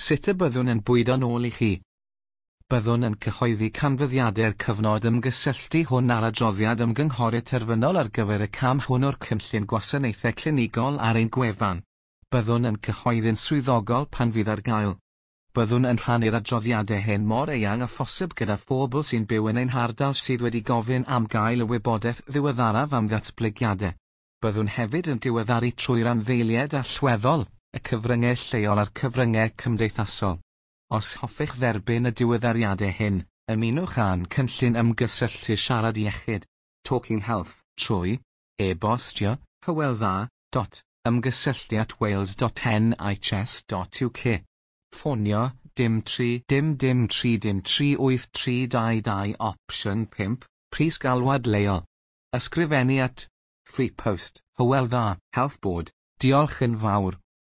Sut y byddwn yn bwydo'n ôl i chi? Byddwn yn cyhoeddi canfyddiadau'r cyfnod ymgysylltu hwn a'r adroddiad ymgynghori terfynol ar gyfer y cam hwn o'r Cynllun Gwasanaethau Clinigol ar ein gwefan. Byddwn yn cyhoeddi'n swyddogol pan fydd ar gael. Byddwn yn rhannu'r adroddiadau hyn mor eang â phosib gyda phobl sy'n byw yn ein hardal sydd wedi gofyn am gael y wybodaeth ddiweddaraf am ddatblygiadau. Byddwn hefyd yn diweddaru trwy randdeiliaid allweddol, y cyfryngau lleol a'r cyfryngau cymdeithasol. Os hoffech dderbyn y diweddariadau hyn, ymunwch â'n cynllun ymgysylltu Siarad Iechyd, Talking Health, trwy e-bostio hywel dda.ymgysylltu@wales.nhs.uk. Ffonio dim 3 dim dim 3 dim 3 8 3 2 2 opsiwn 5, pris galwad leol. Ysgrifennu at Free Post, Hywel Dda, Health Board. Diolch yn fawr.